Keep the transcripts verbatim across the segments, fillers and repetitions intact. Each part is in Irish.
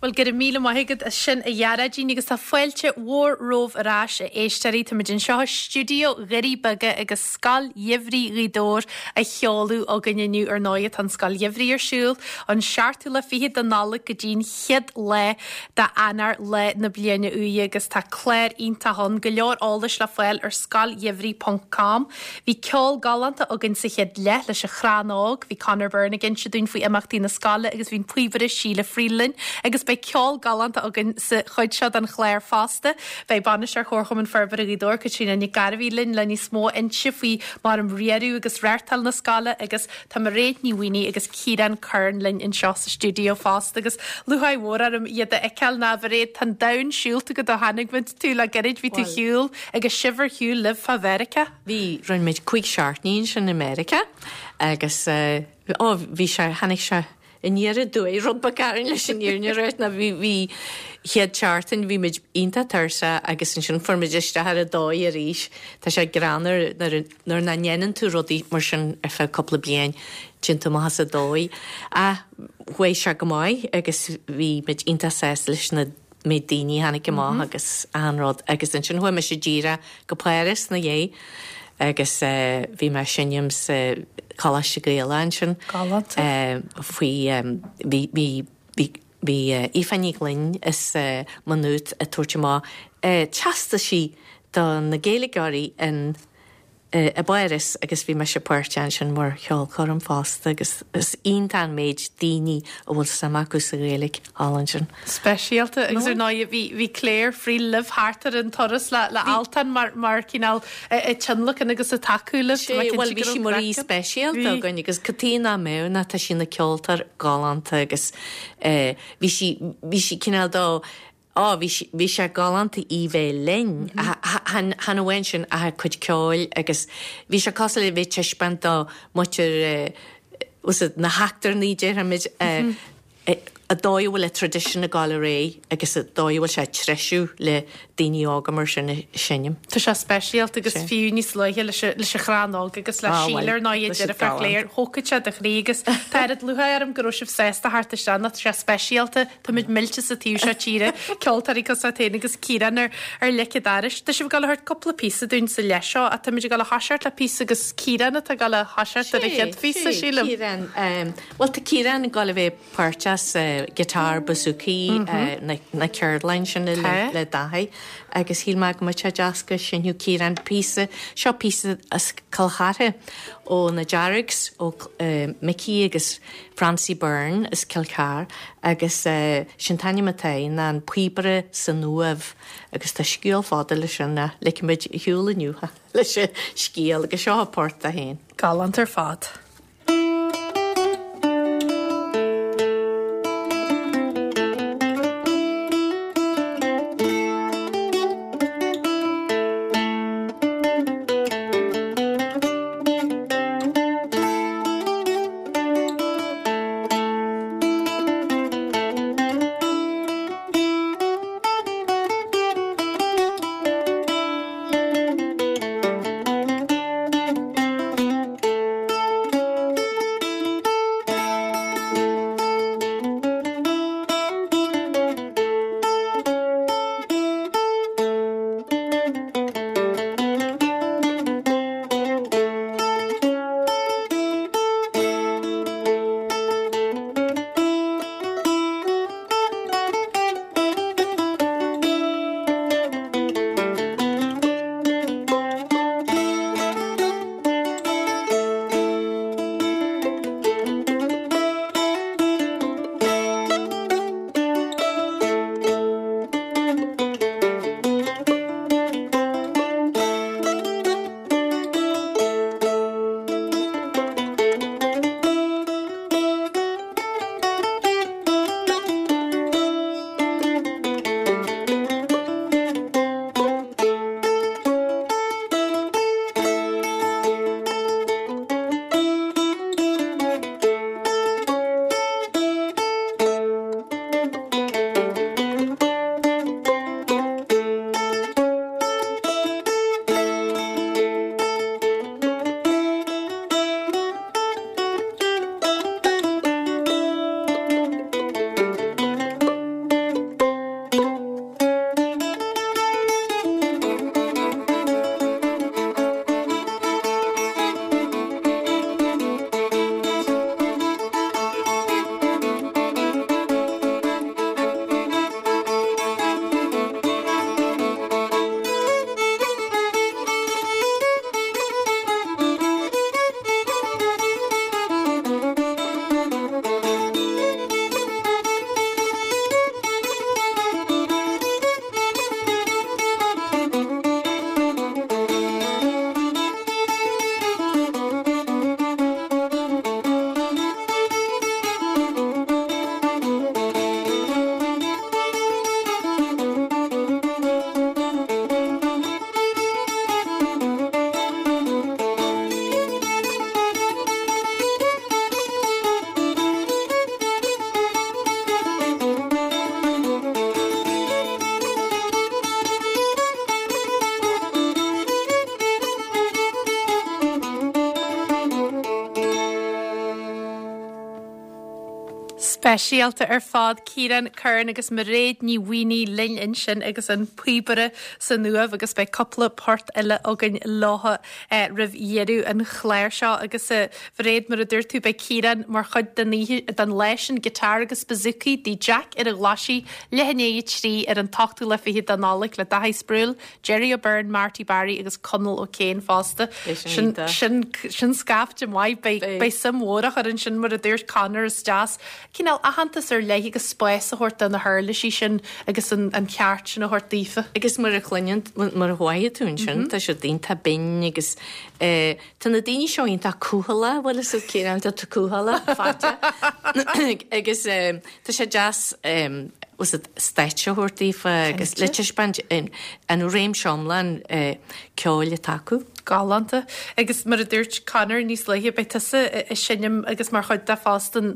Well go raibh míle maith agat as sin a Ghearóidín agus tá fáilte mhór romhaibh ar ais a éisteoirí Táimid anseo i stiúideo Dhoirí Beaga agus Scoil Gheimhridh Ghaoth Dobhair á sheoladh againn inniu ar ndóigh tá an Scoil Gheimhridh ar siúl an seachtú lá fichead de Nollaig go dtí'n chéad lá d'Eanáir lá na bliana úire agus tá clár iontach ann go leor eolais le fáil ar scoilgheimhridh ponc com. Bhí ceol galánta againn sa chéad leath leis an Chrann Óg, bhí Conor Byrne ag inse dúinn faoi imeachtaí na scoile agus bhí an píobaire Síle Friel linn agus beidh ceol galánta againn sa chuid seo den chlár fosta. Beidh Bainisteoir Chomharchumann Forbartha Ghaoth Dobhair, Caitríona Nic Gairbhí linn le níos mó a inse faoi mar um riaradh agus reáchtáil na scoile agus tá Mairéad Ní Mhaonaigh agus Ciarán Curran linn anseo sa stiúideo fosta agus lúcháir mhór orm iad a fheiceáil ná Mhairéad tá an domhan siúlta agat ó tháinig muid tú le gairid bhí tú shiúl agus sibh ar shiúl libh fá Mheiriceá. Bhí rinne muid cúig seachtainí ansin i Meiriceá agus uh, ó bhí sé tháinig sé aniar aduaidh rud beag orainn leis an fhírinne a ráit ná bhí bhí chéad seachtain bhí muid iontach tuirseach agus ansin fuair muid isteach ar an dóigh arís. Tá sé greannmhar nuair nuair nach ndéanann tú rudaí mar sin ar feadh cúpla bliain téann tú amach as an dóigh. Ach chuaigh sé go maith agus bhí muid iontach sásta leis na méid daoine a tháinig amach agus an rud agus ansin chuaigh mise díreach go Páras ina dhiaidh agus uh, bhí mé ag seinm sa Choláiste Gaelach ansin. Galánta. Uh, faoi um, bhí bhí bhí bhí uh, Aoife Ní Ghlinn is uh, Manút ag tabhairt amach uh, teastaisí do na Gaeilgeoirí in uh, i bPáras agus bhí mise páirteach ansin mar cheolchoirm fosta agus is iontach an méid daoine a bhfuil suim acu sa Ghaeilge thall ansin. Speisialta agus ar ndóigh bhí bhí Claire Friel libh thart ar an turas le le Altan mar mar cineál ag tionlacan agus ag tacú libh. Tá mé cinnte Well bhí go sí raibh mar aoi craic ann. speisialta Bhí. againn agus cad chuige nach mbeadh ná tá sí ina ceoltóir galánta agus eh, bhí sí bhí sí cineál dó Á bhí sí- bhí sé galánta í bheith linn chan amháin sin ach a cuid ceoil agus bhí sé cosúil le bheith taispeáint do mhuintir na heachtrannaigh déarfaimid an dóigh a bhfuil an traidisiún ag dul ar aghaidh agus an dóigh a bhfuil sé ag treisiú le daoine óga mar sin ag seinm. Tá sé speisialta agus Sé. fiú níos luaithe leis an- leis an Chrann Óg agus le Ah, bhuel, Síle ar ndóigh tá siad deirfiúr galánta. Claire thógfadh sé do chroí agus tá oiread lúcháir orm go raibh sibh sásta theacht isteach tá sé speisialta Tá muid millte sa taobh seo tíre ceoltóirí cosúil leat féin agus Ciarán ar ar leic an dorais. Tá sibh ag dul a thabhairt cúpla píosa dúinn sa leath seo a tá muid ag dul a thoiseacht le píosa agus Ciarán atá ag dul a thoiseacht ar an chéad phíosa sílim. Ciarán um, Well tá Ciarán ag dul a bheith páirteach sa guitar bouzouki mm -hmm. uh, na, na ceardlann sin le, Tá. le Daithí agus shíl mé go mbeadh sé deas go seinnfeadh Ciarán píosa seo píosa as Cill Chartha ó na Deargs ó uh, Mickey agus Francie Byrne as Cill Chartha agus uh, sin an t-ainm atá air ná an píobaire san uaimh agus tá scéal fada leis sin na ligfimid ar shiúl inniu leis an scéal agus seo port a haon. Galánta ar fad. Thank Speisialta ar fad Ciarán Curran agus Mairéad Ní Mhaonaigh linn ansin agus an píobaire san uaimh agus beidh cúpla port eile againn leo eh, roimh dheireadh an chláir seo agus eh, Mhairéad mar a dúirt tú beidh Ciarán mar chuid den oíche- den lá sin giotár agus bouzouki dí Jack ar a ghlaisí leath i ndiaidh a trí ar an t-ochtú lá fichead de Nollaig le Daithí Sproule, Jerry O'Byrne, Marty Barry agus Conall O'Kane fosta. Beidh sin Sin iontach. sin sin scaifte maith beidh beidh suim mhór á chur ansin mar a dúirt Conor is deas. Cineál aitheantas ar leith agus spás a thabhairt do na huirlisí sin agus an, an ceart sin a thabhairt daofa. Agus mar a chluineann mar a bhfaigheann tú ansin tá sé iontach binn agus eh, tá na daoine seo iontach cúthail bhfuil is céan tá cúthail fáte agus eh, tá sé deas us stáitse a thabhairt daofa agus le taispeáint an réimse iomlán eh, ceoil atá acu. Galánta agus mar a dúirt Conor níos luaithe beidh tusa ag seinm agus mar chuid de fosta an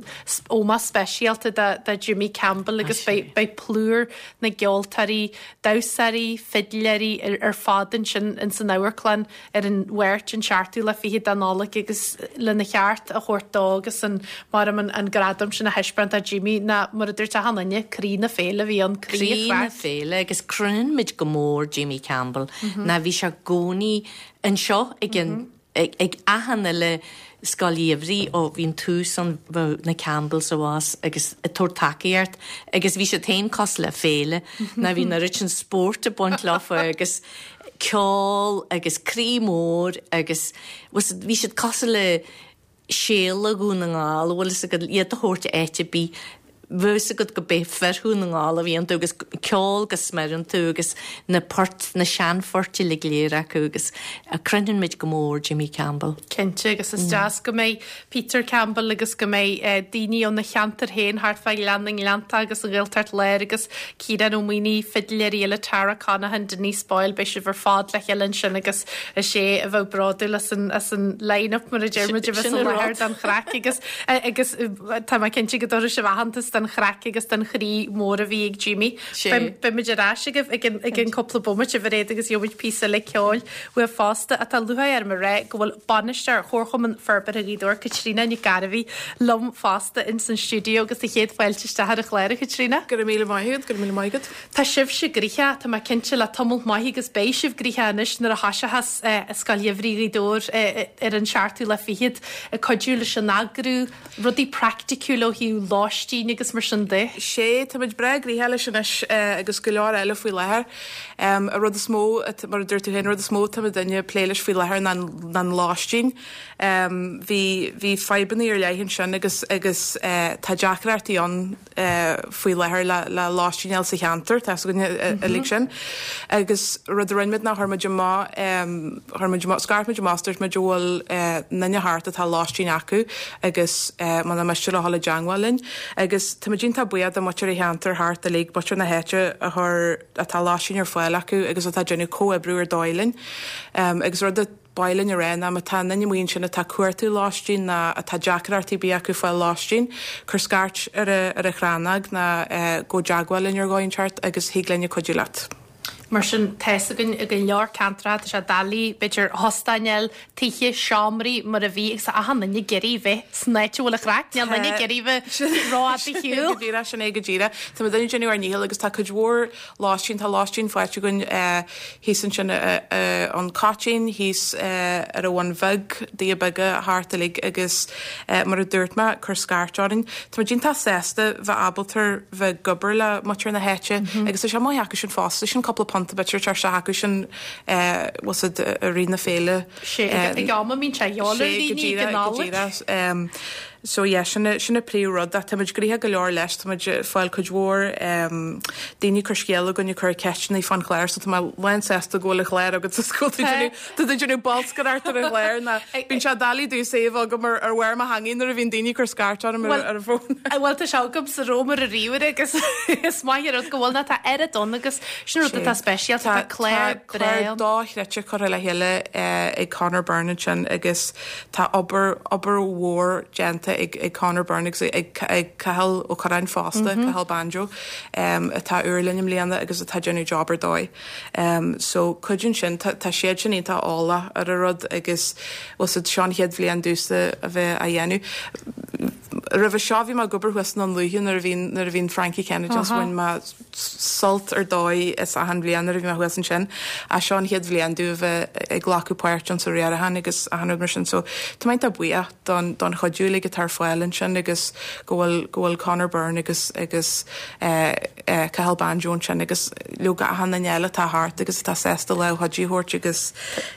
ómós speisialta de, de Jimmy Campbell agus beidh beidh plúr na gceoltóirí, damhsóirí, fidléirí ar, ar fad ansin in san amharclann ar an Mháirt an seachtú lá fichead de Nollaig agus lena cheart a thabhairt dó agus an mar an, an gradam sin a thaispeáint do Jimmy ná mar a dúirt achan duine croí na féile bhí an Croí na féile agus croinnann muid go mór Jimmy Campbell ná bhí sé i gcónaí anseo ag an ag, ag achan uile scoil gheimhridh ó bhí'n tús an bheadh na Campbells abhus agus ag tabhairt tacaíocht agus bhí siad féin cosúil le féile ná bhí na rud sin spórt ag baint leofa agus ceol agus croí mór agus was- bhí siad cosúil le Séala Dhún na nGall bhfuil fhios agat iad a thabhairt áit ar bith bhfuil fhios agat go b'é fir Dhún na nGall a bhí iontu agus ceol go smior iontu agus na port na seanphoirt le léir acu agus a croinnann muid go mór Jimmy Campbell. Cinnte agus is deas go mbeidh Peter Campbell agus go mbeidh eh, daoine ó na ceantair féin thart fá Ghleann na nGleannta agus an Ghaeltacht Láir agus Ciarán Ó Maonaigh fidléirí eile Tara Conaghan Denise Boyle beidh sibh ar fad le chéile ansin agus is é a bheith bródúil as an, as an line-up mar a deir muid a bheith Sin sa an láthair rud. don chraic agus eh, agus eh, tá mé cinnte go dtabharfaidh sibh aitheantas don chraic agus don chroí mór a bhí ag Jimmy. Sé. Beimid ar ais agaibh ag an- ag an cúpla bomaite a Mhairéad agus gheobhaimid píosa le ceoil uaibh fosta atá lúcháir orm a rá go bhfuil bainisteoir Chomharchumann Forbartha Ghaoth Dobhair Caitríona Nic Gairbhí liom fosta in san stiúideo agus a chéad fáilte isteach ar an chlár a Chaitríona. Go raibh míle maith agat, go raibh míle maith agat. Tá sibhse gnoitheach tá mé cinnte le tamall maith agus beidh sibh gnoitheach anois nuair a thoiseochas eh, Scoil Gheimhridh Ghaoth Dobhair eh, ar an seachtú lá fichead ag cuidiú leis an eagrú rudaí praiticiúil ó thaobh lóistín agus mar sin de. Sé tá muid breá gnoitheach leis anois eh, agus go leor eile faoi láthair. Um, a rud is mó at- mar a dúirt tú féin, rud is mó tá duine plé leis faoi láthair ná an lóistín. Um, bhí bhí fadhbanna ar leith ansin agus agus uh, tá deacrachtaí ann uh, faoi láthair le, le lóistín eile sa cheantar tá uilig sin. Agus rud a rinne muid ná chuir muid amach um, chuir muid amach scairt muid amach dúirt muid bhfuil uh, duine thart atá lóistín acu agus uh, má miste le hala deangháil linn. Agus tá muid iontach buíoch de muintir an cheantair thart uilig muintir na háite a chur atá lóistín ar fáil acu agus atá déanamh comhoibriú ar dóigh linn. Um, agus rud a bailin a ré ná má tá duine amuigh ansin atá cuartú lóistín ná atá deacrachtaí bí acu fáil lóistín, cuir scairt ar a, ar a chrannag ná uh, gabh i dteagmháil linn ar dhóigh inteacht agus thig linn cuidiú leat. Mar sin tá againn i go leor ceantar tá sé doiligh b'fhéidir óstáin tithe seomraí mar a bhí agus achan duine ag iarraidh bheith san áit a bhfuil an chraic, Níl duine ag iarraidh bheith rófhada ar shiúl. Go díreach sin é go díreach. Tá muid ag déanamh ár ndícheall agus tá cuid mhór lóistín tá lóistín faighte againn thíos ansin an Caitín thíos ar an Bhun Bheag dtithe beaga thart uilig agus mar a dúirt mé cuir scairt orainn. Tá muid iontach sásta bheith ábalta bheith ag obair le muintir na háite agus tá sé maith acu sin fosta sin cúpla punt b'fhéidir tar se acu sin was a rí na féile. Sé ag am mín sé sé So yeah, sin sin an príomhrud tá muid gnoitheach go leor leis tá muid fáil cuid mhór daoine cur scéal chugainn cur ceisteanna fán chlár, so tá mé lánsásta go bhfuil an clár agat sa scoil Tá déanamh bolscaireacht ar an chlár ná bíonn sé doiligh domh saobh agam ar ar bharr mo theanga nuair a bhíonn daoine cur scairt orm ar ar an bhfón. Bhfuil tá sé agam sa rómar a ríomhaire agus is maith rud go bhfuil ná tá oiread ann agus sin rud atá speisialta tá clár clár dochreidte curtha le chéile ag Conor Byrne sin agus tá obair obair mhór déanta ag ag Conor Byrne agus ag ag Cathal Ó Curráin fosta Cathal Banjo um, atá úr linn i mbliana agus atá déanamh job ar dóigh. Um, so cuidíonn sin tá siad sin iontach eolach ar an rud agus was seo an chéad bhliain dúinn a bheith á dhéanamh. Roimhe seo bhí mé ag obair thuas i nDún Lúiche nuair a bhí nuair a bhí Frankie Kennedy ann bhain mé sult ar dóigh as achan bhliain nuair a bhí mé thuas ansin. Ach seo an chéad bhliain domh a bheith ag glacadh páirt ann sa riarachán agus achan rud mar sin so tá mé iontach buíoch don don chuidiú uilig atá ar fáil ansin agus go bhfuil go bhfuil Conor Byrne agus agus eh, eh, Cathal Banjo ansin agus leoga achan duine eile atá thart agus atá sásta lámh chuidiú a thabhairt agus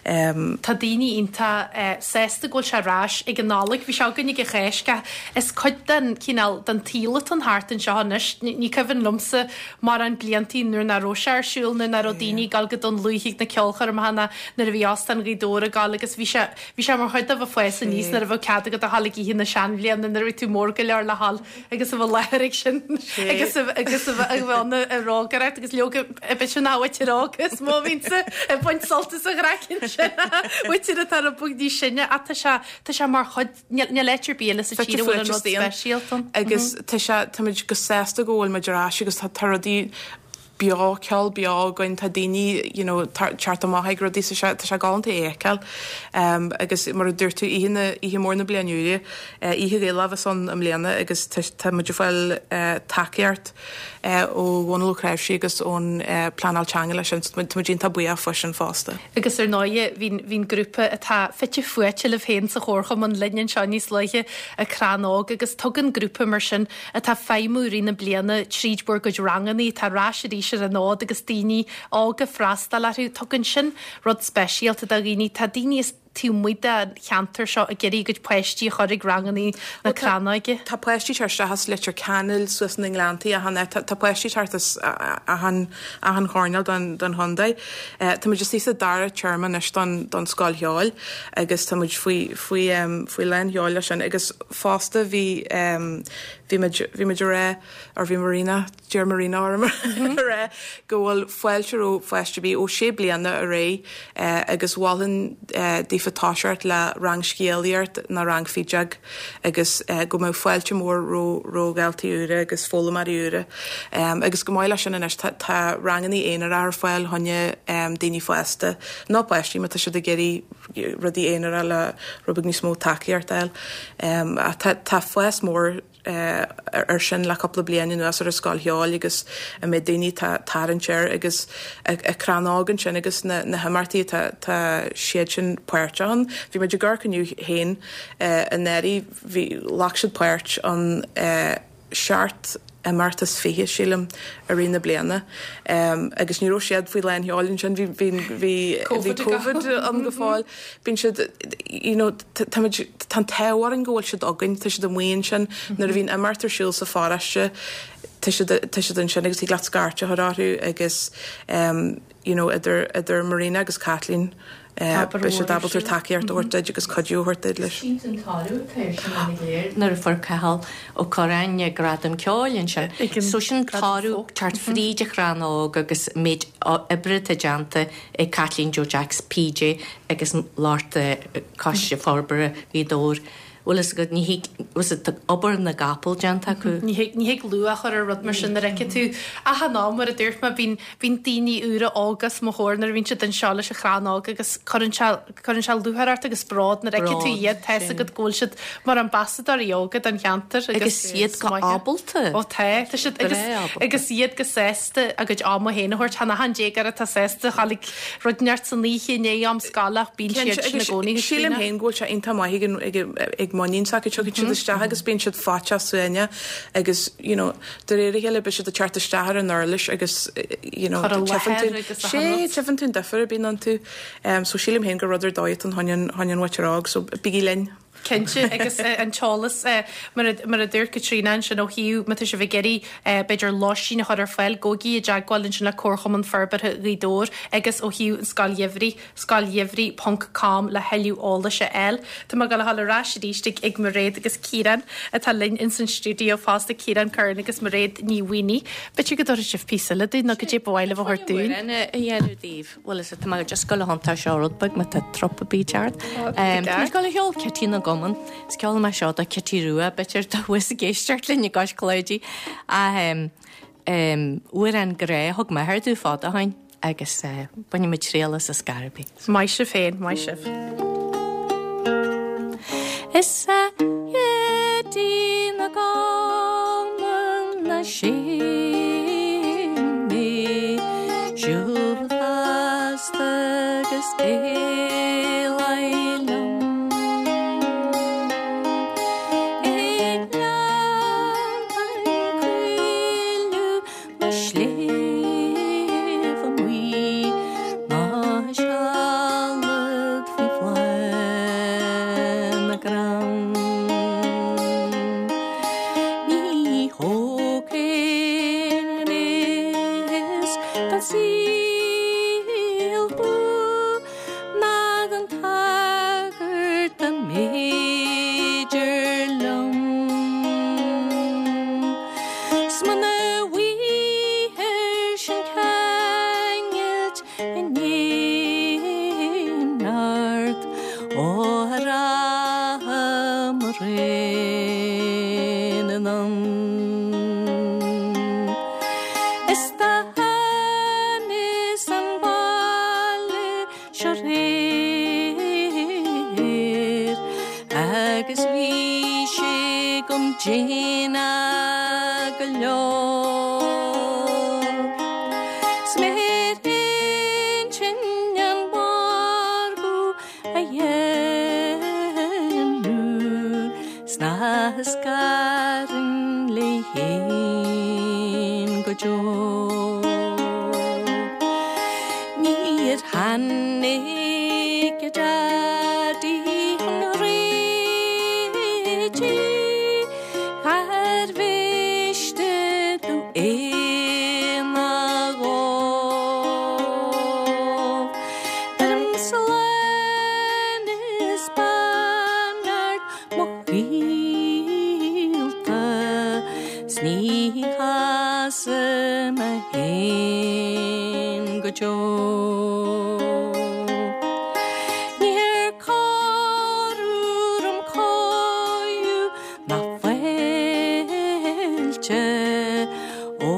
um, Tá daoine iontach eh, sásta go bhfuil sé ar ais ag an Nollaig, bhí sé againn ag an Cháisc. Is cuid den cineál den tsaol atá thart anseo anois. Ní ní cuimhin liomsa mórán bliantaí nuair nach raibh sé ar siúl nuair nach raibh daoine ag dul go Dún Lúiche ag na ceolchoirmeacha ná nuair a bhí Óstán Ghaoth Dobhair ag dul agus bhí sé bhí sé mar chuid de bheith fás aníos nuair a bheadh cead agat a dhul ag oíche na seanbhliana nuair a bhí tú mór go leor le dhul agus a bheith láthair ag sin agus a agus a bheith a bheith ann ag rógaireacht agus leoga b'fhéidir nach bhfuil agus má bhíonn ag baint sult as an gcraic sin. Bhfuil atá rud beag níos sine ach tá sé tá sé mar chuid níl áit ar bith eile sa tír a bhfuil an rud speisialta ann. Agus tá sé táimid go sásta go bhfuil muid ar ais agus tá tá rudaí beo ceol beo againn tá daoine you know, teacht amach ag rudaí sa sé tá sé galánta a fheiceáil. Um, agus mar a dúirt tú oíche na oíche mór na bliana úire, uh, oíche Ghaelach a bheas ann i mbliana agus tá tá muid ag fáil uh, tacaíocht uh, ó Dhónal Ó Cnáimhsí agus ón uh, pleanáil teanga leis sin, tá muid iontach buíoch faoi sin fosta. Agus ar ndóigh bhí bhí'n grúpa atá fite fuaite libh féin sa chomharchumann linn anseo níos luaithe an Crann Óg agus tugann grúpa mar sin atá feidhmiú i rith na bliana tríd bhur gcuid rangannaí atá ar ais arís ar an fhód agus daoine óga freastal orthu tugann sin rud speisialta do dhaoine tá daoine is taobh amuigh den cheantar seo ag iarraidh a gcuid páistí a chur ag rangannaí na Crannóige. Tá páistí tar isteach as Leitir Ceanainn suas na nGleanntaí achan áit. Tá tá páistí thart as achan achan choirnéal don don chontae. Eh, Tá muid istigh sa dara téarma anois don don scoil cheoil agus tá muid faoi faoi um, faoi lán sheoil leis sin agus fosta bhí um, bhí muid bhí muid a rá or bhí Marina deir Marina orm a rá go bhfuil fáilte roimh pháiste ar bith ó sé bliana ar aghaidh eh, agus mholfainn eh, daofa toiseacht le rang scéalaíocht nó rang fideog agus eh, go mbeadh fáilte mór roimh roimh dhaltaí úra agus foghlaimeoirí úra. Um, agus go maith leis sin anois tá, tá ranganna aonair ar fáil choinne um, daoine fásta nó páistí má tá siad ag iarraidh rudaí aonair le rud beag níos mó tacaíocht a fháil. Um, a tá, tá fás mór uh, ar sin le cúpla bliain anuas ar an scoil cheoil agus a mbeidh daoine tá tarraingt air agus a, a Crann Óg ansin agus na, na himeachtaí tá, tá siad sin páirteach ann. Bhí muid ag amharc inniu féin uh, anuraidh bhí ghlac siad páirt an uh, seacht imeacht is fiche sílim i rith na bliana. Um, agus ní raibh siad faoi lán sheoil ansin bhí bhí bhí bhí Covid COVID ann go fóill. Bíonn siad you know, tá tá an t-ádh orainn go bhfuil siad againn, tá siad amuigh ansin nuair a bhíonn imeacht ar siúl sa pharóiste tá siad tá siad ansin agus thig leat scairt a chur orthu agus um, you know, idir idir Marina agus Kathleen Tá beidh siad ábalta tacaíocht a thabhairt duit agus cuidiú a thabhairt duit leis. Sin toradh nuair a fuair Cathal Ó Curráin gradam ceoil ansin. Ag an So sin gradam toradh folk. teacht fríd an Chrann Óg agus méid oibre atá déanta ag Kathleen Joe Jacks PJ agus lucht Coiste Forbartha Ghaoth Dobhair. Bhfuil is go ní was obair na gcapall déanta acu. Ní thig ní thig luach a chur ar rud mar sin nuair a fheiceann tú achan am mar a dúirt mé bíonn bíonn daoine úra óga os mo chomhair nuair a bhíonn siad anseo leis an Chrann Óg agus cuireann sé cuireann sé lúcháir ort agus bród nuair a fheiceann tú Bród, iad tá sin. agat go bhfuil siad mar ambasadóirí óga don cheantar Agus iad go maith. ábalta. Ó tá tá siad agus Breá ábalta. agus iad go sásta a gcuid ama féin a thabhairt chan achan déagóir atá sásta a dhul ag rud inteacht san oíche i ndiaidh am scoile ach bíonn siad sin i gcónaí Sílim féin go bhfuil sé iontach maith ag an- ag ag muinín s'acu tiocfaidh siad isteach agus bíonn siad faitíoch suaimhneach agus you know, de réir a chéile beidh siad ag teacht isteach ar an uirlis agus eh, you know, Cur i tchífeann láthair tú- agus a sé rud. tchífeann tú an difear a bhíonn iontu. Um, so sílim féin gur rud ar dóigh an choinne choinne mhuintir óg, so bígí linn. Cinnte agus eh, an t-eolas eh, mar a- mar a dúirt Caitríona ansin ó thaobh má tá sibh ag iarraidh eh, b'fhéidir lóistín a chur ar fáil gabhaigí i dteagmháil ansin le Comharchumann Forbartha Ghaoth Dobhair agus ó thaobh an Scoil Gheimhridh scoilgheimhridh.com le thuilleadh eolais a fháil. Tá mé ag gabháil a dhul ar ais arís ag ag Mairéad agus Ciarán atá linn in san stiúideo fosta Ciarán Curran agus Mairéad Ní Mhaonaigh. B'fhéidir go dtabharfaidh sibh píosa eile dúinn nó go dté bhile a thabhairt dúinn. a dhéanamh daoibh. Bhfuil is tá just go honta seo rud beag má tá trup a bí ceart. ceart. Go le cheol Cití na gCumann. Is ceol me seo do Cití Rua b'fhéidir tá bhfuis ag éisteacht linn i gCois Cláidí. Amhrán grá thug m'athair domh fad ó shin agus uh, bainfidh muid triail as Scaraby. Maith sibh féin, maith sibh. Is a Cití na sléibhe amuigh ná sealad faoi bhláth na gcrann. Ní thógfainn gnéas den saol thú ná den tsagart dá mb'fhéidir liom. 'S muna bhfaighir sin ceangailt in aon neart ó rachaidh mo réin anonn. Is do thánas an baile seo aréir agus bhí sé dom déanach go leor. 'S mé ar intinn an margadh a dhéanamh 's nach scarfainn léi féin go deo. Níor tháinig a daidí chun réitigh char mhiste domh aon dhóibh. Beirim slán is beannacht mo ghaolta 's ní chasfaidh mé féin go deo. Níor chóir orm cóiriú ná fáilte ó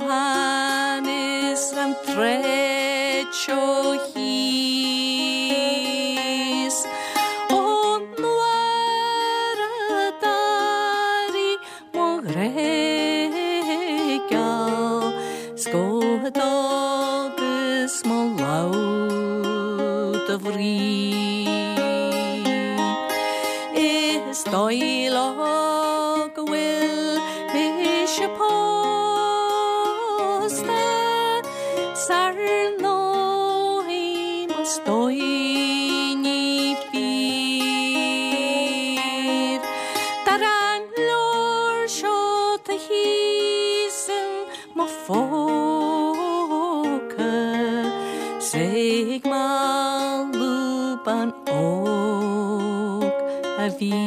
thánas an tsráid seo thíos. Ón uair a d'airigh mo ghrá geal 's go dtágas mo lamh dá bhrí. Is dóigh leo go bhfuil mise pósta 's ar ndóigh más dóigh ní fíor. Dar an leabhar seo tá thíos in mo phóca 's ag mallú bean óg a bhíos.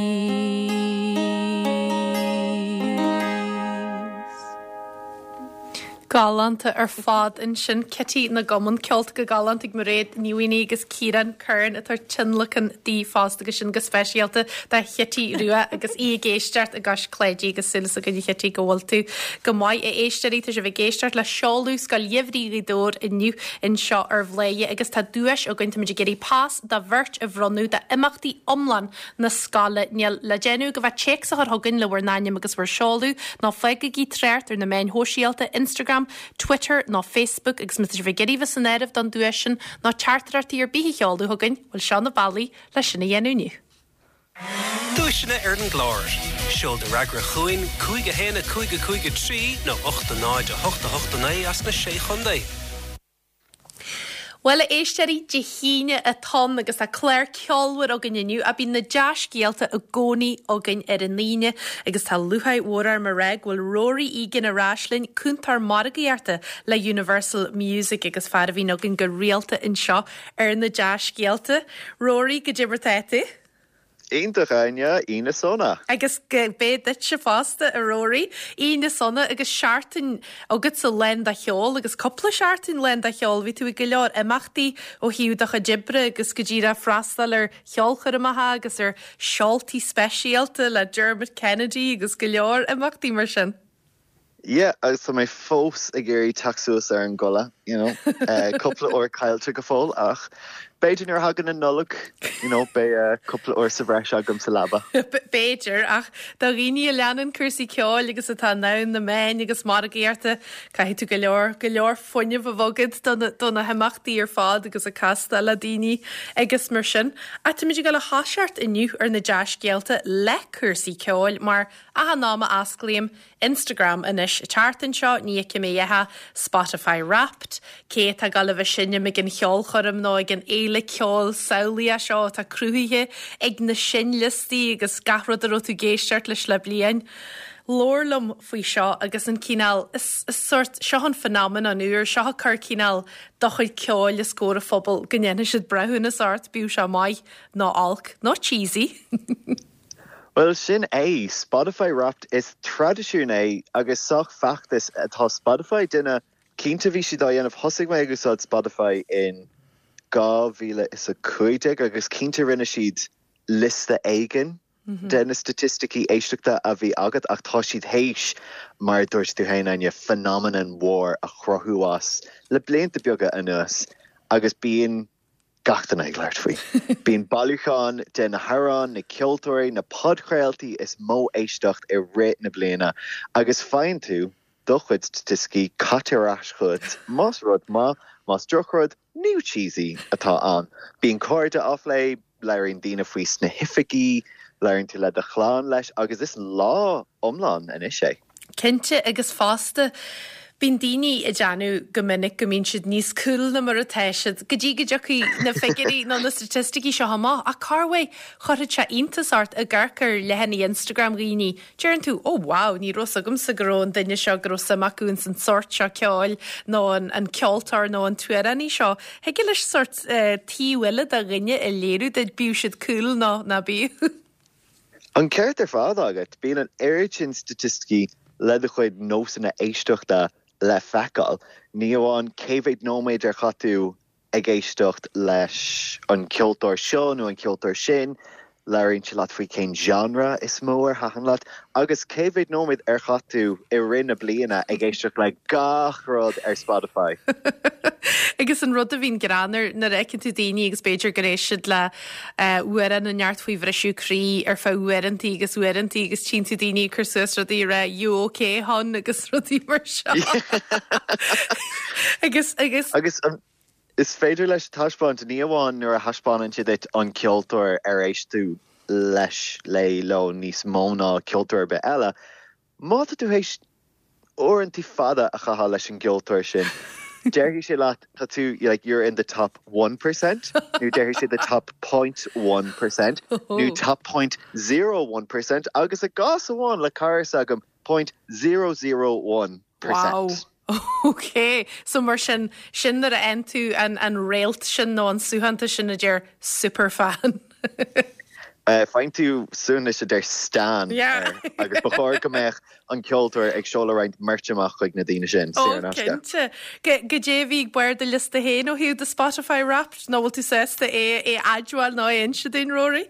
Galánta ar fad ansin Kitty na gCumann ceolta go galánta ag Mairéad Ní Mhaonaigh agus Ciarán Curran atá tionlacan di fosta agus sin go speisialta do Chití Rua agus í ag éisteacht i gCois Cléidí agus súil againn a Chití go bhfuil tú go maith a éisteoirí tá sibh ag éisteacht le seoladh Scoil Gheimhridh Ghaoth Dobhair inniu anseo ar Bhladhaire agus tá duais againn táimid ag iarraidh pas do bheirt a bhronnadh d'imeachtaí iomlán na scoile níl le déanamh go bheith téacs a chur chugainn le bhur n-ainm agus bhur seoladh nó fágaigí trácht ar na meáin shóisialta Instagram, Twitter nó Facebook agus má tá sibh ag iarraidh bheith san áireamh don duais sin nó teachtaireachtaí ar bith a sheoladh chugainn, bhfuil seo na bealaí leis sin a dhéanamh inniu. Duaiseanna ar an gclár. Seol do fhreagra chugainn cúig a haon a cúig a cúig a trí nó ocht a náid a hocht a hocht a naoi as na sé chontae. Bhuel a éisteoirí Dé hAoine atá ann agus tá clár ceolmhar againn inniu a bíonn na dea-scéalta i gcónaí againn ar an Aoine agus tá lúcháir mhór orm a rá go bhfuil Rory Egan ar ais linn cúntóir margaíochta le Universal Music agus fear a bhíonn againn go rialta anseo ar na dea-scéalta. Rory go dé mar tá tú? Iontach Áine Aoine sona. Agus go bé duitse fosta a Rory, Aoine sona agus seachtain agat sa lán de cheol agus cúpla seachtain lán de cheol, bhí tú ag go leor imeachtaí ó thaobh do chuid oibre agus go díreach freastal ar cheolchoirmeacha agus ar seoltaí speisialta le Dermot Kennedy agus go leor imeachtaí mar sin. Yeah, agus tá mé fós ag iarraidh teacht suas ar an gcodladh, you know, uh, cúpla uair caillte go fóill ach B'fhéidir nuair a thagann an Nollaig, you know, beidh uh, cúpla uair sa bhreis agam sa leaba. B'fhéidir ach do dhaoine a leanann cúrsaí ceoil agus atá ann na meáin agus margaíochta caithfidh tú go leor go leor fuinnimh a bheith agat do na himeachtaí ar fad agus ag castáil le daoine agus mar sin. Ach táimid ag dul a thoiseacht inniu ar na dea-scéalta le cúrsaí ceoil mar achan am a osclaím Instagram anois an tseachtain seo ní fheicim a dhath Spotify Wrapped, cé atá ag dul a bheith ag seinm ag an cheolchoirm nó ag an fhéile ceoil samhlaíoch seo atá cruthaithe ag na seinnliostaí agus gach rud a raibh tú ag éisteacht leis le bliain. Labhair liom faoi seo agus an cineál is, is sort seo an phenomenon úr seo cur cineál do chuid ceoil os comhair an phobail go ndéanfaidh siad breithiúnas ort bíodh sé maith nó olc nó cheesy. Well sin é Spotify Wrapped is traidisiún é agus sách feachtas atá Spotify duine cinnte bhí siad á dhéanamh thosaigh mé ag úsáid Spotify in dhá mhíle is a cúig déag agus cinnte rinne siad liosta éigin de na staitisticí éisteachta a bhí agat ach tá siad théis mar dúirt tú féin an phenomenon mhór a chruthú as le blianta beaga anuas agus bíonn gach duine ag labhairt faoi. Bíonn bailiúchán de na hamhráin, na ceoltóirí, na podchraoltaí is mó éisteacht i rith na bliana agus faigheann tú do chuid staitisticí caite ar ais chugat más rud maith, más drochrud, nó cheesy atá ann. Bíonn cairde á phlé, labhraíonn daoine faoi sna hoifigí, labhraíonn tú le do chlann leis agus is lá iomlán anois é. Cinnte agus fosta Bíonn daoine ag déanamh go minic go mbíonn siad níos cool ná mar atá siad, go dtí go dtiocfaidh na figiúirí nó na staitisticí seo amach ach corruair chuirfeadh sé iontas ort ag amharc ar leathanaigh Instagram dhaoine. Deireann tú ó wow, ní raibh agamsa go raibh an duine seo go raibh suim acu san sórt seo ceoil nó an, an ceoltóir nó an t-amhránaí seo. Thig leis sórt uh, taobh eile de dhuine a léiriú duit bíodh siad cool nó ná bíodh. An ceart ar fad agat bíonn an oiread sin staitisticí le do chuid nósanna éisteachta le feiceáil. Ní amháin cé mhéad nóiméad ar chaith tú ag éisteacht leis an ceoltóir seo nó an ceoltóir sin, labhraíonn sé leat faoi cén genre is mó ar thaitin leat, agus cé mhéad nóiméad ar chaith tú i rith na bliana ag éisteacht le gach rud ar Spotify. Agus an rud a bhíonn greannmhar nuair a fheiceann tú daoine agus b'fhéidir gur éist siad le amhrán inteacht faoi bhriseadh croí ar feadh uaireanta agus uaireanta agus tchíonn tú daoine cur suas rudaí rá you okay hon agus rudaí mar seo. agus agus agus um, is féidir leis taispeáint ní amháin nuair a thaispeánann siad duit an ceoltóir ar éist tú leis le leo níos mó ná ceoltóir ar bith eile. Má tá tú théis uaireanta fada a chaitheamh leis an gceoltóir sin. Déarfaidh sé leat tá tú like you're in the top one percent nó déarfaidh sé the top point one percent nó top point zero one percent agus i gcás amháin le cara agam point zero zero one percent. Wow. Ok, so mar sin sin nuair a fhaigheann tú an, an réalt sin nó an suaitheantas sin a deir superfan. Uh, Faigheann tú suaitheantas a deir stan Yeah. agus ba chóir go mbeadh an ceoltóir ag seoladh roinnt merch amach chuig na daoine sin Ó cinnte. Go dé bhí bar de liosta féin ó thaobh de Spotify Wrapped nó bhfuil tú sásta é é admháil nó é inse dúinn Rory?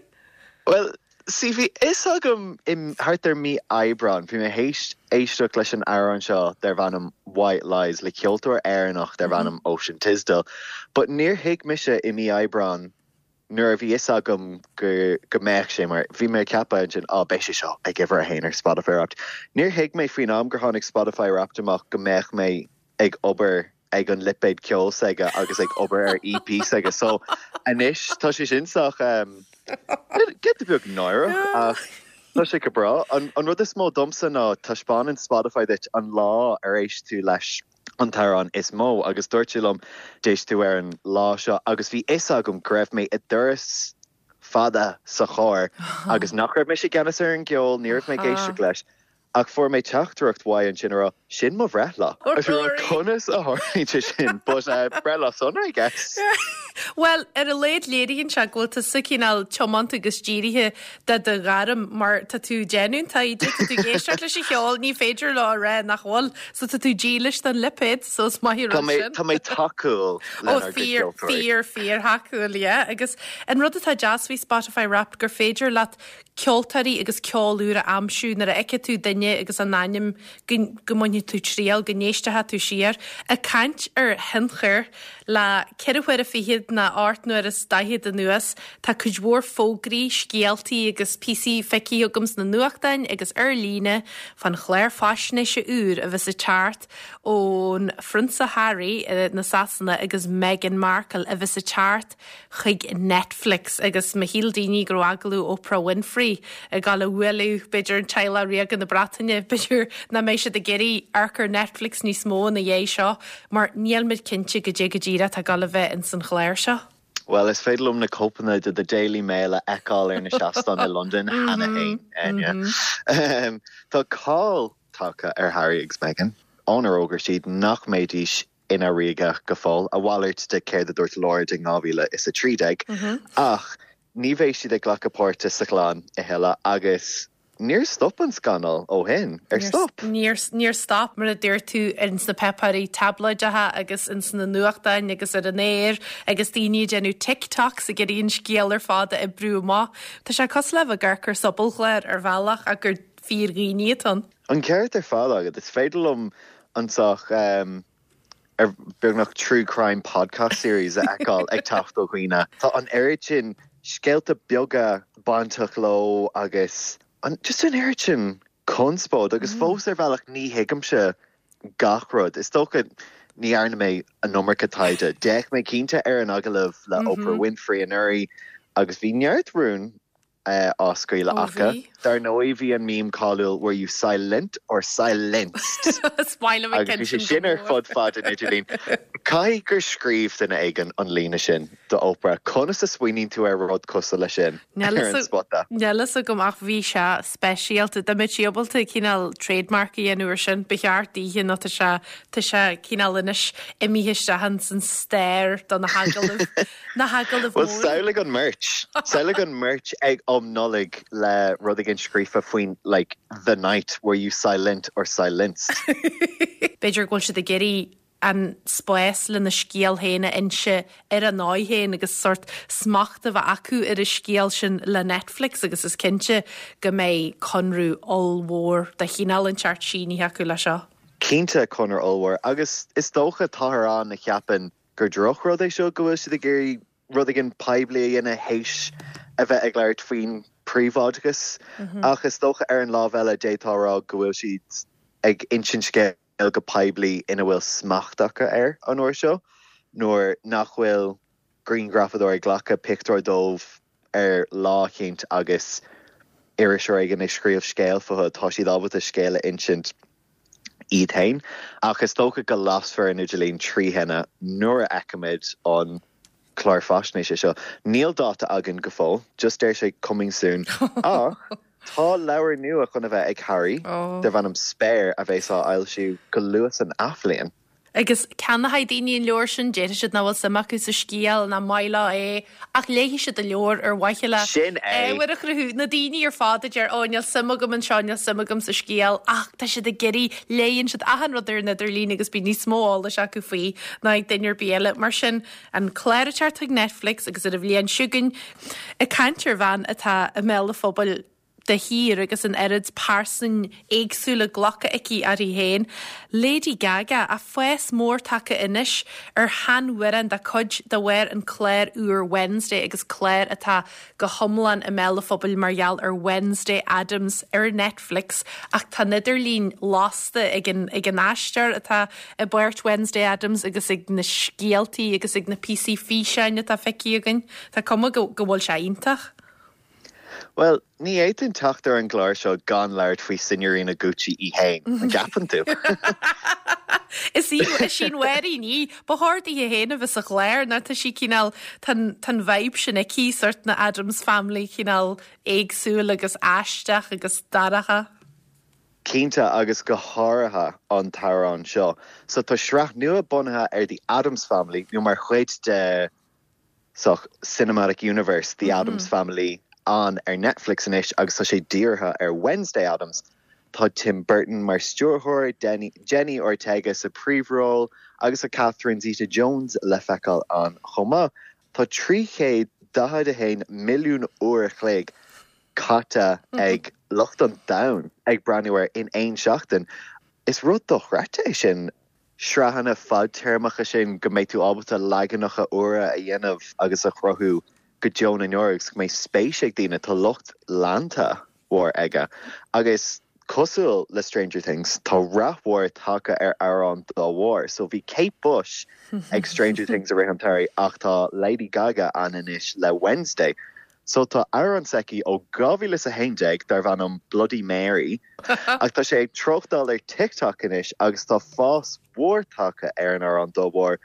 Well, sí bhí fhios agam im thart ar mí Aibreán, bhí mé théis éisteacht leis an amhrán seo darb ainm White Lies le ceoltóir Éireannach darb ainm Ocean Tisdale, but níor thuig mise i mí Aibreán nuair a bhí fhios agam go go mbeadh sé mar bhí mé ceapadh sin á beidh sé seo ag uimhir a haon ar Spotify Wrapped. Níor thuig mé faoin am gur tháinig Spotify Wrapped amach go mbeadh mé ag obair ag an lipéad ceoil s'aige agus ag obair ar EP s'aige so anois tá sé sin sách um, giota beag náireach ach tá sé go breá an, an rud is mó domsa ná taispeánann Spotify duit an lá ar éist tú leis an t-amhrán is mó agus dúirt sé liom d'éist tú ar an lá seo agus bhí fhios agam go raibh mé i dturas fada sa charr agus nach raibh mé i gceannas ar an gceol ní raibh mé ag éisteacht leis. Ach fuair mé teachtaireacht uaidh ansin a rá sin mo bhreithlá. Conas a tharlaíonn sé sin, but uh, breithlá sona I guess. Well ar a laghad léiríonn sé go bhfuil tú sa cineál tiomanta agus dírithe de do ghairm mar tá tú déanamh taighde tá tú ag éisteacht leis an cheol ní féidir leo a rá nach bhfuil so tá tú dílis don lipéad so is maith Tá mé tá mé tacúil Ó fíor fíor fíor thacúil yeah. agus an rud atá deas faoi Spotify Wrapped gur féidir leat ceoltóirí agus ceol úr a aimsiú nuair a fheiceann tú duine agus an ainm go mbainfidh mbainfidh tú triail, go n-éistfidh tú siar. Ag caint ar thionchar, le ceithre huaire fichead ná ocht n-uaire is daichead anuas, tá cuid mhór fógraí, scéaltaí agus píosaí feicthe agam sna nuachtáin agus ar líne fán chlár faisnéise úr a bheas ag teacht ón Phrionsa Harry na Sasana agus Meghan Markle a bheas ag teacht chuig Netflix agus má shíl daoine go raibh agallamh Oprah Winfrey ag gabháil a bhualadh b'fhéidir an teaghlach ríoga na Breataine, b'fhéidir nach mbeidh siad ag iarraidh amharc ar Netflix níos mó ina dhiaidh seo mar níl muid cinnte goidé go díreach atá ag gabháil a bheith ins an chlár seo. Bhuel, is féidir liom na cóipeanna de The Daily Mail a fheiceáil ar na seastáin i Londain cheana féin, Enya. Tá cáil tagtha ar Harry agus Meghan ónar fhógair siad nach mbeidís ina ríoga go fóill, a mhalairt de céard a dúirt Lord in dhá mhíle is a trí déag. Ach ní bheidh siad ag glacadh páirte sa chlann a thuilleadh agus níor stop an scannal ó shin. Ar stop? Níor, níor stop, mar a dúirt tú, ins na páipéirí táblóideacha agus ins na nuachtáin agus ar an aer agus daoine ag déanamh TikToks ag iarraidh an scéal ar fad a oibriú amach. Tá sé cosúil le bheith ag amharc ar sobalchlár ar bhealach ach gur fíordhaoine atá ann. An ceart ar fad agat. Is féidir liom an sórt ar beagnach true crime podcast series a fheiceáil ag teacht ó dhaoine. Tá an oiread sin scéalta beaga bainteach leo agus an just an oiread sin conspóid agus fós ar bhealach ní thuigimse gach rud. Is dócha ní dhearna mé an iomarca taighde. D'fhéach mé cinnte ar an agallamh le Oprah Winfrey anuraidh agus bhí neart rún á scaoileadh acu. Dar ndóigh bhí an meme cáiliúil were you silent or silenced? Is maith liom an Agus bhí sé sin ar fud fad an idirlín. Caithfidh gur scríobh duine éigin an líne sin do Oprah. Conas a smaoiníonn tú ar rud cosúil leis sin ar an spota? Níl a fhios agam ach bhí sé speisialta. Dá mbeadh sí ábalta cineál trademark a dhéanamh ar sin, ba cheart daoithe nó tá sé tá sé cineál anois imithe isteach ins an stair do na hagallaimh na hagallaimh Well mhóra. samhlaigh an merch. Samhlaigh an merch ag um Nollaig le rud éigin scríofa faoin like the night were you silent or silenced. B'fhéidir go bhfuil siad ag iarraidh an spás lena scéal féin a inse ar a ndóigh féin agus sórt smacht a bheith acu ar an scéal sin le Netflix agus is cinnte go mbeidh conradh ollmhór de chineál inteacht sínithe acu le seo. Cinnte conradh ollmhór agus is dócha táthar ann a cheapann gur drochrud é seo go bhfuil siad ag iarraidh rud éigin poiblí a dhéanamh théis a bheith ag labhairt faoin príobháideachas ach is dócha ar an lámh eile d'fhéadfá a rá go bhfuil siad ag insint scéal go poiblí ina bhfuil smacht acu air an uair seo nuair nach bhfuil grianghrafadóir ag glacadh pictiúr dóibh ar lá éicint agus iriseoir éigin ag scríobh scéal fúthu tá siad ábalta scéal a insint iad féin ach is dócha go lasfar an idirlíon trí thine nuair a fheicimid an clár faisnéise seo. Níl dáta againn go fóill, just deir sé coming soon ach tá leabhar nua chun a bheith ag Harry Oh. darb ainm Spare a bheas á fhoilsiú go luath san athbhliain. Agus ceannóidh daoine an leabhar sin déarfaidh siad nach bhfuil suim acu sa scéal nach maith leo é ach léifidh siad an leabhar ar mhaithe le Sin é. ábhar a chruthú na daoine ar fad a deir ó níl suim agam anseo níl suim agam sa scéal ach tá siad ag iarraidh léann siad achan rud ar an idirlíon agus bíonn níos mó eolais acu faoi ná ag duine ar bith eile mar sin an clár ag teacht chuig Netflix agus ar an bhliain seo chugainn ag caint ar bhean atá i mbéal an phobail de shíor agus an oiread pearsan éagsúla glactha aici uirthi féin. Lady Gaga a fás mór tagtha anois ar sheanamhrán dá cuid de bharr an clár úr Wednesday agus clár atá go hiomlán i mbéal an phobail mar gheall ar Wednesday Addams ar Netflix ach tá an idirlíon lasta ag an ag an aisteoir atá i bpáirt Wednesday Addams agus ag na scéaltaí agus ag na píosaí físeáin atá feicthe againn. Tá cuma go go bhfuil sé iontach. Well, ní fhéadfainn teacht ar an gclár seo gan labhairt faoi Signorina Gucci í féin, an gceapann tú. Is í is í an ní ba cheart di féin a bheith sa chlár ná tá sí cineál tá an vibe sin aici sórt na Addams Family cineál éagsúil agus aisteach agus dorcha. Cinnte agus go háirithe an t-amhrán seo. So tá sraith nua bunaithe ar the Addams Family nó mar chuid de sórt Cinematic Universe the mm -hmm. Addams Family an ar Netflix anois agus tá sé dírithe ar Wednesday Addams. Tá Tim Burton mar stiúrthóir Jenny Ortega sa príomhról agus a Catherine Zeta Jones le feiceáil ann chomh maith. Tá trí chéad daichead a haon milliún uair a chloig caite ag lucht an domhain ag breathnú air in aon seachtain. Is rud dochreidte é sin sraitheanna fadtéarmacha sin go mbeidh tú ábalta leaganacha úra a dhéanamh agus a chruthú go deo na ndeor agus go mbeidh spéis ag daoine tá lucht leanta mhór aige. Agus cosúil le Stranger Things tá rath mhór tagtha ar amhrán dá bharr, so bhí Kate Bush ag Stranger Things i rith an tsamhraidh ach tá Lady Gaga ann anois le Wednesday. So tá amhrán s'aici ó dhá mhíle is a haon déag darb ainm Bloody Mary ach tá sé ag treochtáil ar TikTok anois agus tá fás mhór tagtha ar an amhrán dá bharr.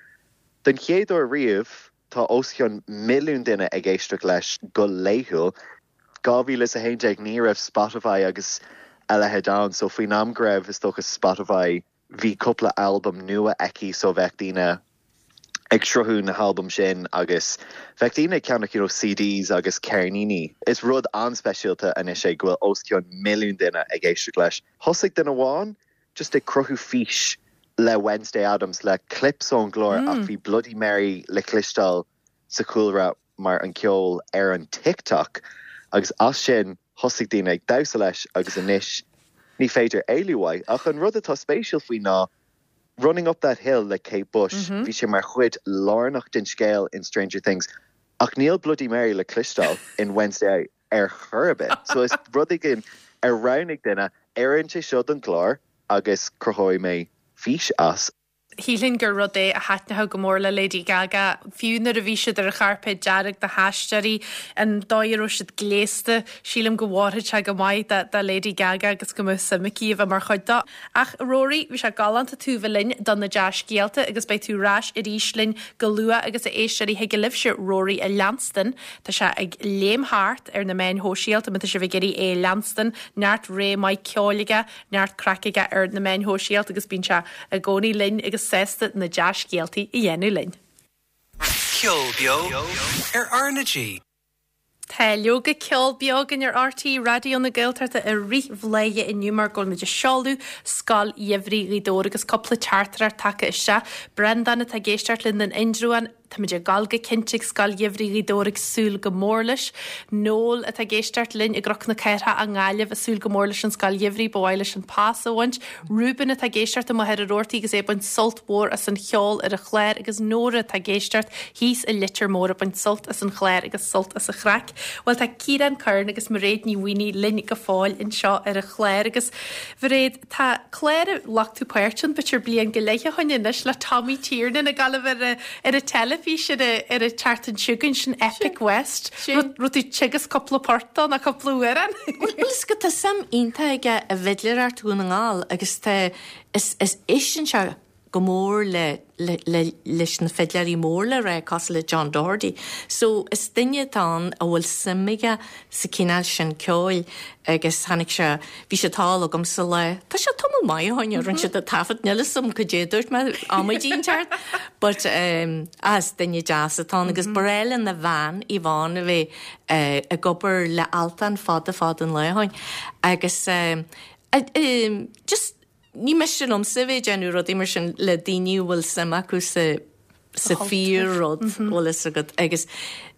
Den chéad uair riamh tá os cionn milliún duine ag éisteacht leis go laethúil. dhá mhíle is a haon déag ní raibh Spotify agus a leithéid ann, so faoin am go raibh is dócha Spotify bhí cúpla albam nua aici so bheadh daoine ag sruthú na halbaim sin agus bheadh daoine ag ceannach you know, CDs agus ceirníní. Is rud an-speisialta anois é go bhfuil os cionn milliún duine ag éisteacht leis. Thosaigh duine amháin just ag cruthú fís le Wednesday Addams le clips ón gclár mm. ach bhí Bloody Mary le cloisteáil sa chúlra mar an ceol ar an TikTok agus as sin thosaigh daoine ag damhsa leis agus anois ní féidir éalú uaidh ach an rud atá spéisiúil faoi ná Running Up That Hill le Kate Bush mm -hmm. bhí sé mar chuid lárnach den scéal in Stranger Things ach níl Bloody Mary le cloisteáil in Wednesday ar chor ar bith so is rud éigin ar roghnaigh duine oireann sé seo don chlár agus cruthóidh mé fís as. Shílfinn gur rud é a thaitneodh go mór le Lady Gaga, fiú nuair a bhí siad ar an chairpéad dearg na haisteoirí, an dóigh a raibh siad gléasta, sílim go bhfóirfeadh sé go maith do, do Lady Gaga agus go mbeadh suim aici a bheith mar chuid dó. Ach Rory, bhí sé galánta tú bheith linn do na dea-scéalta agus beidh tú ar ais arís linn go luath agus a éisteoirí thig libhse Rory a leanstan. Tá sé ag léim thart ar na meáin shóisialta, má tá sibh ag iarraidh é a leanstan, neart ré maith ceoil aige, neart craic aige ar na meáin shóisialta agus bíonn sé i gcónaí linn agus sásta na dea-scéaltaí a dhéanamh linn. Ceol beo ar R na G. Tá leoga ceol beo againn ar RTÉ Raidió na Gaeltachta i rith Bhléithe inniu mar go bhfuil muid ag seoladh Scoil Gheimhridh Ghaoth Dobhair agus cúpla teachtaireacht tagtha isteach. Breandán atá ag éisteacht linn in Indreabhán Táimid ag gabháil go cinnte ag Scoil Gheimhridh Ghaoth Dobhair ag súil go mór leis. Noel atá ag éisteacht linn i gCnoc na Cathrach i nGaillimh ag súil go mór leis an Scoil Gheimhridh ba mhaith leis an pas a bhaint. Reuben atá ag éisteacht amuigh ar an Rabhartaigh agus é ag baint sult mhór as an cheol ar an chlár agus Nóra atá ag éisteacht thíos i Leitir Móir ag baint sult as an chlár agus sult as an chraic. Well tá Ciarán Curran agus Mairéad Ní Mhaonaigh linn go fóill anseo ar an chlár agus Mhairéad tá clár a ghlac tú páirt ann b'fhéidir bliain go leith ó shin anois le Tommy Tiernan ag gabháil ar ar an teilifís ar ar an tseachtain seo chugainn sin Epic West. Raibh tú teagasc cúpla port na cúpla amhrán. Well is go tá suim iontach aige i bhfidléireacht Dhún na nGall agus tá is is éisteann sé go mór le, le, le, leis na fidléirí mór le rá cosúil le John Doherty. So is duine atá ann a bhfuil suim aige sa cineál sin ceoil agus tháinig sé bhí sé thall agam sa lá. Tá sé tamall maith ó shin rinne siad an taifead níl a fhios agam cad é dúirt mé amaidí ceart, but um, as duine deas atá ann agus ba bhreá lena bhean Yvonne a bheith uh, ag obair le Altan fada fada an lá ó shin agus um, uh, um, just ní miste liomsa bheith déanamh rudaí mar sin le daoine a bhfuil suim acu sa sa fíor rud bhfuil fhios agat agus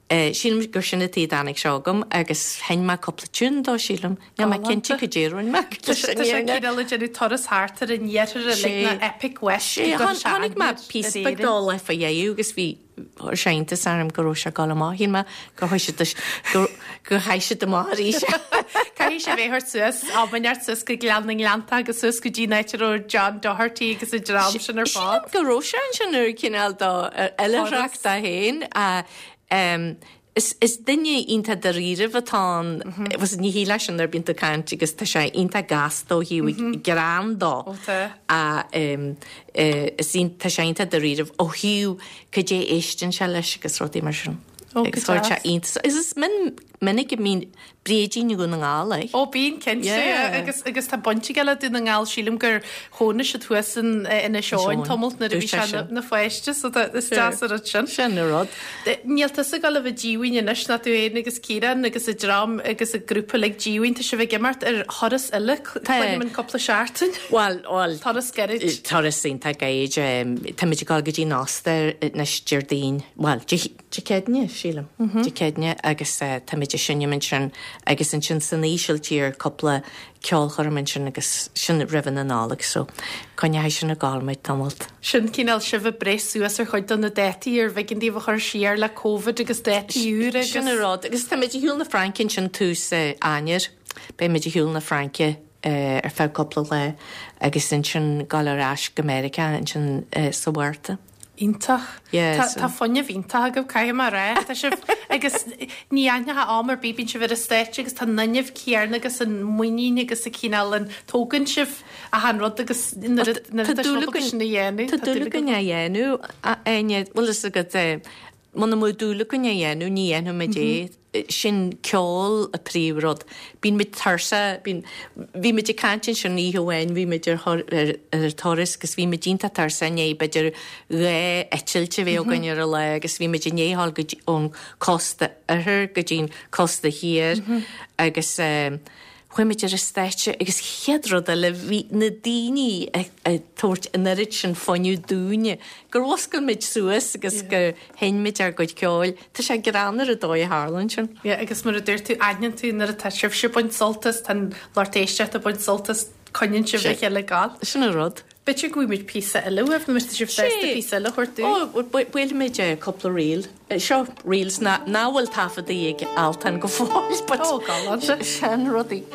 uh, sílim gur sin an tuige a dtáinig seo agam agus sheinn mé cúpla tiún dó sílim Níl mé cinnte cad é a rinne mé Tá sé cineál ag déanamh turas thart ar an iarthar le na Epic West. Tháinig mé píosa beag dó le fa dhéú agus bhí sé iontas orm go raibh sé ag dul amach shíl mé gur chuaigh siad gur gur chaith siad amach arís. Caithfidh sé bheith suas amaart suas go Gleann na nGleannta agus suas go dtí áit a raibh John Doherty agus an dream sin ar fad. Sílim go raibh sé ansin ar cineál dá oilithreacht dó féin um, Is, is duine iontach dáiríribh atá ann was ní hí leis an ar bíonn tú ag caint agus tá sé iontach gasta ó thaobh greann dó. Ó tá. A um, uh, is tá sé iontach dáiríribh ó thaobh cad é éisteann sé leis agus rudaí mar sin. Ó, go Agus chuir sé deas. iontas. Is is min minic a mbíonn bréidín Dhún na nGall é. Ó bíonn cinnte Yeah. agus agus tá baint aige le Dún na nGall sílim gur chónaigh siad thuas in Inis Eoghain Eoghain. tamall nuair a bhí Dúirt sé sé sin. na pháiste so tá- is deas an rud sin. Sin an rud. Níl tusa ag gabháil a bheith díomhaoin anois ná tú féin agus Ciarán agus an dream agus an grúpa le díomhaoin tá sibh ag imeacht ar thuras eile cluinim an cúpla seachtain. Well, well, Turas gairid. Turas iontach gairid Tá muid ag dul go dtí an Ostair anois Déardaoin, well, Dé Céadaoine sílim Dé Céadaoine agus uh, tá muid muid ag seinm ansin agus ansin san Ísiltír cúpla ceolchoirm ansin agus sin roimh na Nollag so coinneoidh sin ag gabháil muid tamalt. Sin cineál sibh ag breith suas ar chuid de na dátaí ar bh'éigean daoibh a chur siar le Covid agus dátaí úra agus. Sin an rud agus tá muid ar shiúl na Fraince ansin tús Eanáir. Beidh muid ar shiúl na Fraince ar feadh cúpla lá agus ansin gabháil ar ais go Meiriceá ansin sa Mhárta. Iontach. Yeah, Tá fuinneamh iontach agaibh, caithfidh mé a rá. Tá sibh agus ní aithneofá am ar bith, bíonn sibh ar an stáitse agus tá an fhuinneamh céanna agus an muinín agus an cineál an tógann sibh achan rud agus nuair a nuair atá sibh ábalta sin a dhéanamh. Tá dúil againn é a dhéanamh, a Áine, bhfuil fhios agat, muna mbeadh dúil againn é a dhéanamh, ní dhéanfadh muid é. Sin ceol a príomhrud. Bíonn muid tuirseach, bíonn, bhí muid ag caint ansin oíche amháin, bhí muid ar ar ar turas agus bhí muid iontach tuirseach i ndiaidh b'fhéidir dhá eitilt a bheith againn ar an lá agus bhí muid i ndiaidh a ghabháil go dtí ón cósta oirthir go dtí'n cósta thiar agus eh chuaigh muid ar an stáitse agus chéad rud eile bhí na daoine ag tabhairt an oiread sin fuinneamh dúinne gur mhuscail muid suas agus gur sheinn muid ár gcuid ceoil. Tá sé greannmhar an dóigh a tharlaíonn sin. Yeah, agus mar a dúirt tú, aithníonn tú nuair atá sibhse ag baint sult as, tá an lucht éisteachta ag baint sult as, coinníonn sibh le chéile ag gabháil. Sin an rud. B'fhéidir go bhfaighidh muid píosa eile uaibh, nó má tá sibh sásta píosa eile a thabhairt dúinn. Ó, buailfidh muid cúpla ríl. Seo reels nach bhfuil taifeadtaí ag Altan go fóill, but Ó, galánta. Sean rudaí.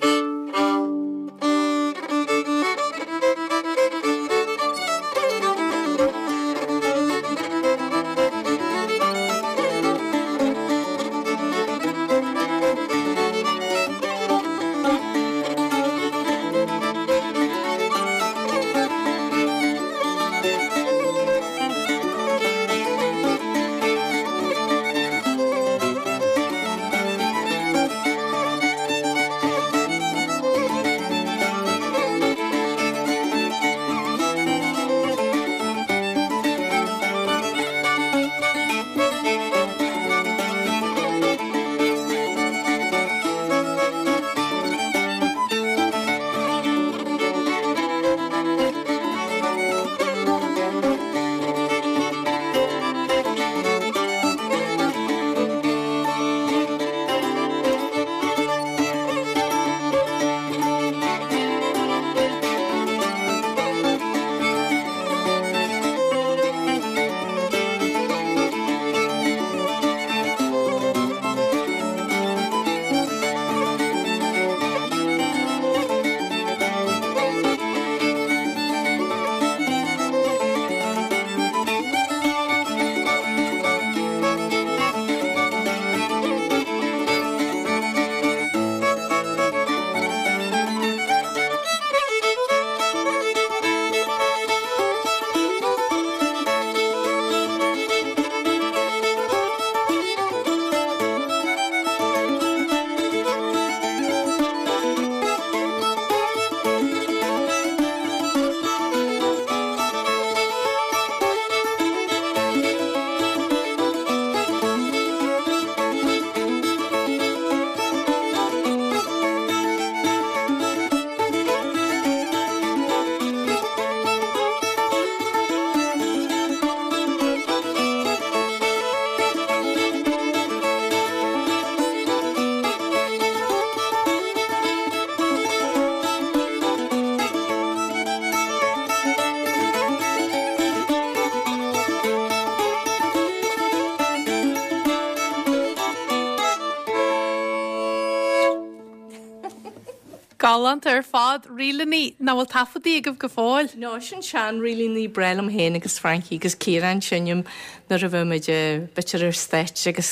Galánta ar fad, ríleanna nach bhfuil taifeadtaí agaibh go fóill. No, sin sean ríleanna breá liom féin agus Frankie agus Ciarán seinm nuair a bheadh muid b'fhéidir ar stáitse agus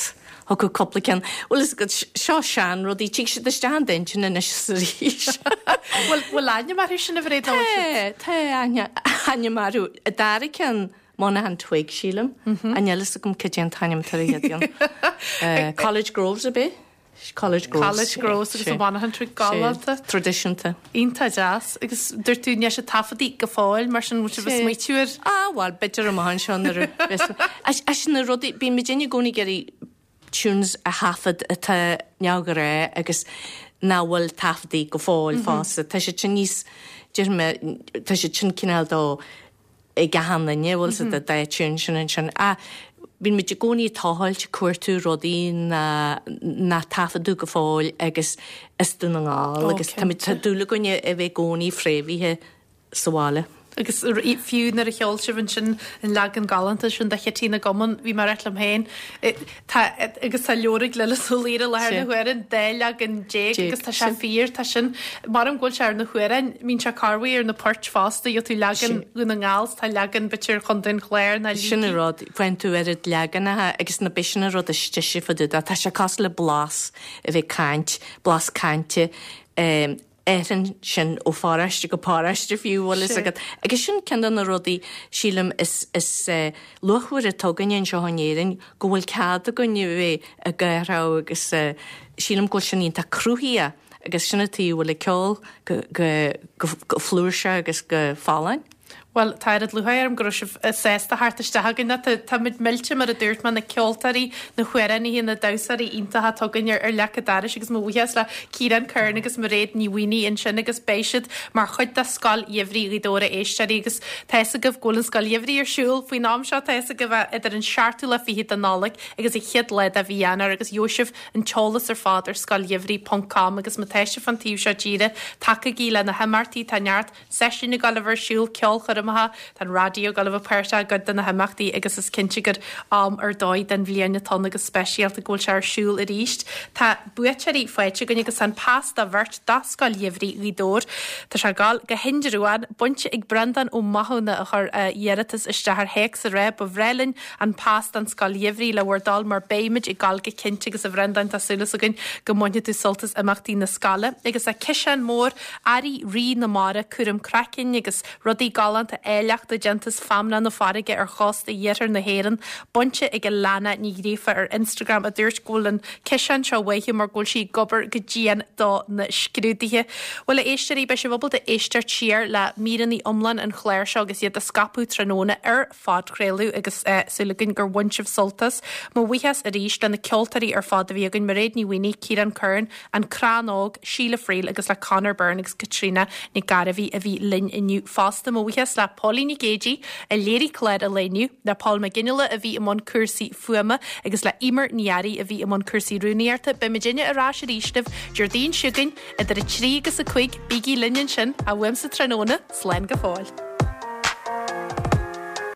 thiocfadh cúpla ceann. Bhuel is go seo sean rudaí, tig siad isteach in d'intinn anois is arís. Bhfuil bhfuil ainm orthu sin a Mhairéad nó Tá, tá aithne ainm orthu. An dara ceann Monaghan Twig sílim. An níl fhios agam cad é an t-ainm atá ar an gcéad cheann. College Groves ab é? College Groves. College Groves agus an Monaghan Twig galánta. Traidisiúnta. Iontach deas. Agus dúirt tú níl siad taifeadtaí go fóill mar sin bhfuil sibh ag smaoitiú ar. Ah bhuel b'fhéidir amach anseo nuair a bheas As na rudaí bíonn muid i gcónaí ag iarraidh tunes a thaifead atá neamhghnách agus nach bhfuil taifeadtaí go fóill fosta. Tá siad sin níos déarfaidh mé tá siad sin cineál dó ag achan duine bhfuil siad dá tune sin ansin. Ah Bíonn muid i gcónaí ag tochailt, ag cuartú rudaí nár taifeadadh go fóill agus as Dún na nGall agus tá muid, tá dúil againn a bheith i gcónaí fréamhaithe sa bhaile. Agus fiú nuair a cheol sibh ansin an leagan galánta sin de Chití na gCumann, bhí mé ag rá liom féin, tá, agus tá leabhar ag Lillis Ó Laoire i láthair na huaire, an dá leagan déag agus tá sé fíor, tá sin, maram go bhfuil sé ar na hamhráin, mbíonn sé corruair ar na poirt fosta, gheobhaidh tú leagan Dhún na nGall, tá leagan b'fhéidir Chontae an Chláir ná Sin an rud, faigheann tú oiread leaganacha agus na b'shin an rud is deise fá dtaobh de, tá sé cosúil le blas a bheith ag caint, blas cainte, athraíonn sin ó pharóiste go paróiste fiú, bhfuil fhios agat. Agus sin ceann de na rudaí, sílim, is is luachmhaire atá againne anseo in Éirinn, go bhfuil cead againn a bheith ag athrú agus sílim go bhfuil sin iontach cruthaitheach agus sin an tuige a bhfuil an ceol go go go flúirseach agus go folláin. Bhuel, tá oiread lúcháir orm go raibh sibh sásta theacht isteach againn. Tá muid millte, mar a dúirt mé, na ceoltóirí, na hamhránaithe, na damhsóirí iontacha atá againn ar leac an dorais agus mo bhuíochas le Ciarán Curran agus Mairéad Ní Mhaonaigh ansin agus beidh siad mar chuid de Scoil Gheimhridh Ghaoth Dobhair a éisteoirí agus tá fhios agaibh go bhfuil an Scoil Gheimhridh ar siúl faoin am seo, tá fhios agaibh idir an seachtú lá fichead de Nollaig agus an chéad lá de mhí Eanáir agus gheobhaidh sibh an t-eolas ar fad ar scoilgheimhridh ponc com agus má tá sibh fán taobh seo tíre, tacaigí le na himeachtaí, tá neart seisiún ag dul a bheith ar siúl, ceolchoirmeacha, tá an raidió ag dul a bheith páirteach i gcuid de na himeachtaí agus is cinnte gur am ar dóigh den bhliain atá ann agus speisialta go bhfuil sé ar siúl arís. Tá buaiteoirí faighte againn agus tá an pas do bheirt do Scoil Gheimhridh Ghaoth Dobhair. Tá sé ag dul go hIndreabhán, bainte ag Breandán Ó Mathúna a chuir a iarratas isteach ar théacs ag rá ba bhreá linn an pas don Scoil Gheimhridh le bhur dtoil mar beimid ag dul go cinnte agus a Bhreandáin tá súil againn go mbainfidh tú sult as imeachtaí na scoile agus tá ciseán mór earraí Rí na Mara, cúram craicinn agus rudaí galánta áilleachta déanta as feamnach na farraige ar chósta iarthar na hÉireann, bainte ag Alana Ní Ghríofa ar Instagram a dúirt go bhfuil an ciseán seo uaithi mar go bhfuil sí ag obair go dian do na scrúduithe. Bhuel a éisteoirí, beidh sibh ábalta éisteacht siar le míreanna iomlán an chláir seo agus iad a scaipeadh tráthnóna ar phodchraoladh agus súil againn gur bhain sibh sult as. Mo bhuíochas arís le na ceoltóirí ar fad a bhí againn, Mairéad Ní Mhaonaigh, Ciarán Curran, An Crann Óg, Síle Friel agus le Conor Byrne agus Caitríona Nic Gairbhí a bhí linn inniu fosta. Mo bhuíochas le Póilín Nic Géidigh a léirigh clár an lae inniu, le Paul McGinley a bhí i mbun cúrsaí fuaime agus le Emer Ní Fhearraigh a bhí i mbun cúrsaí rúnaíochta. Beidh muidinne ar ais arís libh Déardaoin seo chugainn idir a trí agus a cúig. Bígí linn ansin, uaimse tráthnóna, slán go fóill.